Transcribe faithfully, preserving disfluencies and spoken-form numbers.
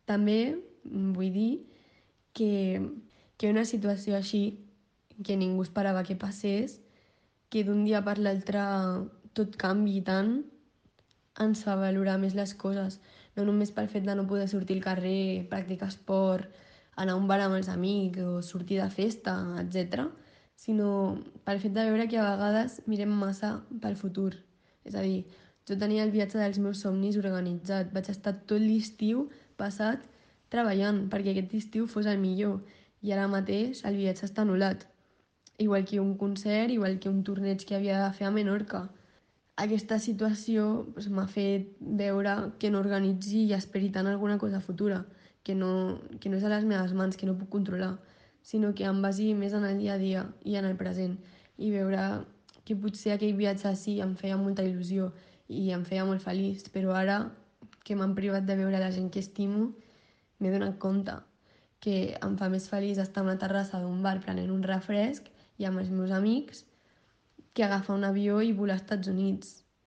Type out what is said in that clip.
També mm, vull dir que, que una situació així, que ningú esperava que passés, que d'un dia per l'altre tot canvi tant, ens fa valorar més les coses. No només pel fet de no poder sortir al carrer, practicar esport, anar a un bar amb els amics o sortir de festa, etcètera, sinó pel fet de veure que a vegades mirem massa pel futur. És a dir, jo tenia el viatge dels meus somnis organitzat. Vaig estar tot l'estiu passat treballant perquè aquest estiu fos el millor i ara mateix el viatge està anul·lat. Igual que un concert, igual que un torneig que havia de fer a Menorca. Aquesta situació pues, m'ha fet veure que no organitzi i esperi tant alguna cosa futura, que no, que no és a les meves mans, que no puc controlar, sinó que em basi més en el dia a dia i en el present i veure que potser aquell viatge sí em feia molta il·lusió i em feia molt feliç, però ara que m'han privat de veure la gent que estimo, m'he donat compte que em fa més feliç estar a una terrassa d'un bar prenent un refresc i amb els meus amics que agafar un avió i volar als Estats Units.